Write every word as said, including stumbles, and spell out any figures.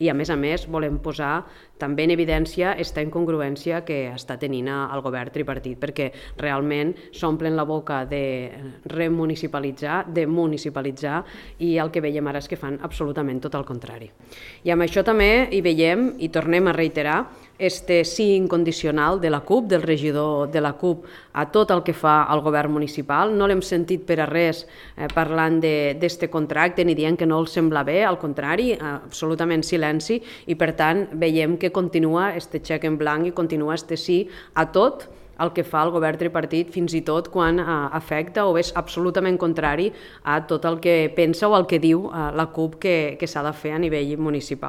I, a més a més, volem posar també en evidència aquesta incongruència que està tenint el govern tripartit, perquè realment s'omplen la boca de remunicipalitzar, de municipalitzar, i el que veiem ara és que fan absolutament tot el contrari. I amb això també hi veiem, i tornem a reiterar, este sí incondicional de la CUP, del regidor de la CUP, a tot el que fa el govern municipal. No l'hem sentit per a res eh, parlant d'aquest contracte ni dient que no els sembla bé, al contrari, eh, absolutament silenci, i per tant veiem que continua este xec en blanc i continua este sí a tot el que fa el govern tripartit, fins i tot quan eh, afecta o és absolutament contrari a tot el que pensa o el que diu eh, la CUP que, que s'ha de fer a nivell municipal.